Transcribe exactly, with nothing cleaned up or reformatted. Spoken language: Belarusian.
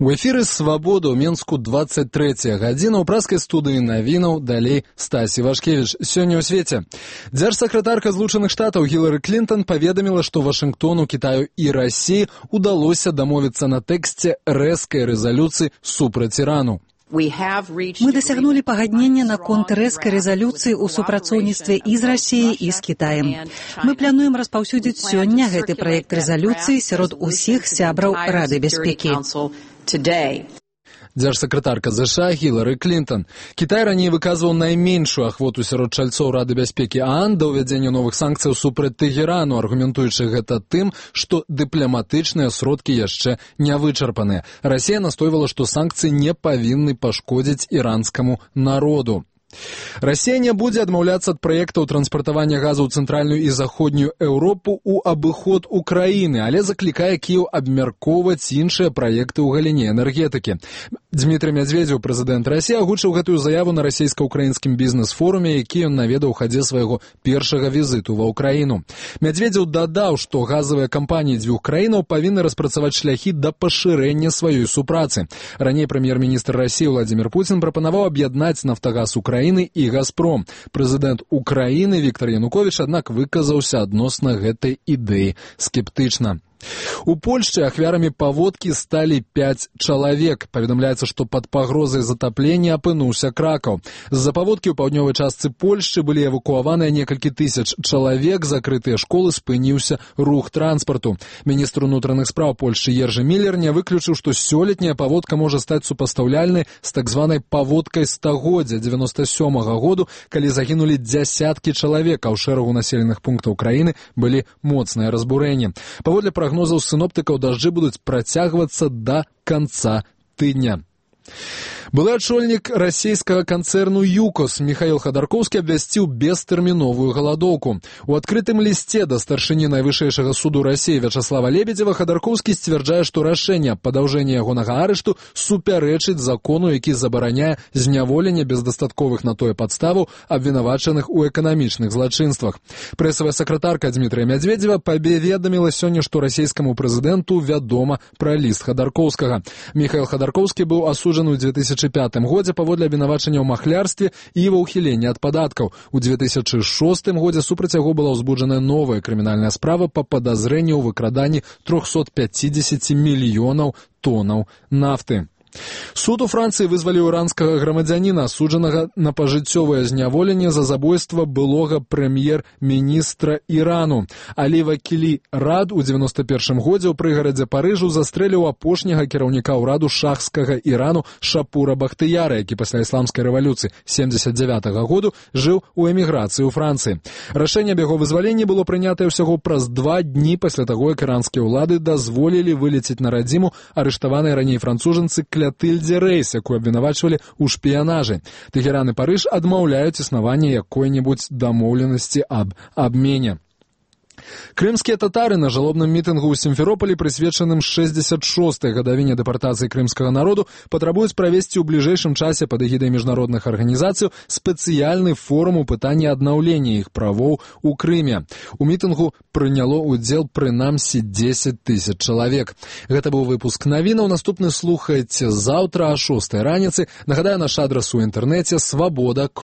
У эфіры «Свабода» ў Менску двадцать трэцяя гадзіна. У праскай студыі навінаў далей Стасі Вашкевіч. Сёння ў свеце. Дзяржсакратарка Злучаных Штатаў Гілары Клінтон паведаміла, што Вашынгтону, Кітаю і Расіі удалося дамовіцца на тэксце рэзкай рэзалюцыі супраць Ірану. Мы дасягнулі пагаднення наконт рэзкай рэзалюцыі ў супрацоўніцтве і з Расіяй, і з Кітаем. Мы плануем распаўсюдзіць сёння гэты праект рэзалюцыі сярод усіх сябраў Рады бяспекі. Дзяржсакратарка ЗША Гілары Клінтон. Кітай раней выказваў найменшую ахвоту сярод чальцоў Рады бяспекі ААН да ўвядзення новых санкцыяў супраць Тэгэрану, аргументуючы гэта тым, што дыпламатычныя сродкі яшчэ не вычарпаныя. Расія настойвала, што санкцыі не павінны пашкодзіць іранскаму народу. Расія не будзе адмаўляцца ад праектаў транспартавання газу ў цэнтральную і заходнюю Еўропу ў абыход Украіны, але заклікае Кіеў абмяркоўваць іншыя праекты ў галіне энергетыкі. Дмітрый Мядзведзеў, прэзідэнт Расіі, агучыў гэтую заяву на расійска-украінскім бізнес-форуме, які ён наведаў у хадзе свайго першага візіту ва ўкраіну. Мядзведзеў дадаў, што газавыя кампаніі дзвюх краінаў павінны распрацаваць шляхі да пашырэння сваёй супрацы. Раней прэм'ер-міністр Расіі Владзімір Пуцін прапанаваў аб'яднаць «Нафтагаз Украіны» і «Газпром». Прэзідэнт Украіны Віктар Януковіч, аднак, выказаўся адносна гэтай ідэі скептычна. У Польшчы ахвярамі паводкі сталі пяць чалавек. Паведамляецца, што пад пагрозай затаплення апынуўся Кракаў. З-за паводкі ў паўднёвай частцы Польшчы былі эвакуаваныя некалькі тысяч чалавек, закрытыя школы, спыніўся рух транспарту. Міністр унутраных спраў Польшчы Ержы Міллер не выключыў, што сёлетняя паводка можа стаць супастаўляльнай з так званай паводкай стагоддзя дзевяноста сёмага году, калі загінулі дзясяткі чалавек, а ў шэрагу населеных пунктаў краіны былі моцныя разбурэнні. Паводле прогнозаў синоптикаў дажджы будуць працягвацца да канца тыдня. Былы адшольнік расійскага канцэрну «ЮКОС» Михаил Ходорковский абвясціў бестэрміновую галадоўку. У адкрытым лісце да старшыні найвышэйшага суду Расіі Вячаслава Лебедзева Ходорковский сцвярджае, што рашэнне аб падаўжэнні ягонага арышту супярэчыць закону, які забараняе зняволенне без дастатковых на тое падставаў абвінавачаных у эканамічных злачынствах. Прэсавая сакратарка Дмітрыя Мядзведзева паведаміла сёння, што расійскаму прэзідэнту вядома пра ліст Ходорковскага. Михаил Ходорковский быў асуджаны ў две тысячы пятым годзе паводле абвінавачання ў махлярстве і ва ўхіленні ад падаткаў. У две тысячы шостым годзе супраць яго была ўзбуджаная новая крымінальная справа па падазрэнні ў выкраданні трохсот пяцідзесяці мільёнаў тонаў нафты. Суд у Францыі вызваліў іранскага грамадзяніна, асуджанага на пажыццёвае зняволенне за забойства былога прэм'ер-міністра Ірану. Алі Вакілі Рад у дзевяноста першым годзе ў прыгарадзе Парыжу застрэліў апошняга кіраўніка ўраду шахскага Ірану Шапура Бахтыяра, які пасля ісламскай рэвалюцыі семдзесят дзявятага году жыў у эміграцыі ў Францыі. Рашэнне аб яго вызваленні было прынятае ўсяго праз два дні пасля таго, як іранскія ўлады дазволілі вылецець на радзіму арыштаванай раней францужанцы Клятыльдзе Рэйс, якую абвінавачвалі ў шпіянажы. Тэгеран і Парыж адмаўляюць існаванне якой-небудзь дамоўленасці аб абмене. Крымскія татары на жалобным мітынгу ў Сімферополі, прысвечаным шэсцьдзесят шостай гадавіне дэпартацыі крымскага народу, патрабуюць правесці ў бліжэйшым часе пад эгідай міжнародных арганізацый спецыяльны форум у пытанні аднаўлення іх правоў у Крыме. У мітынгу прыняло ўдзел прынамсі дзесяць тысяч чалавек. Гэта быў выпуск навінаў. Наступны слухайце заўтра о шостай раніцы. Нагадаю, наш адрас у інтэрнэце свабода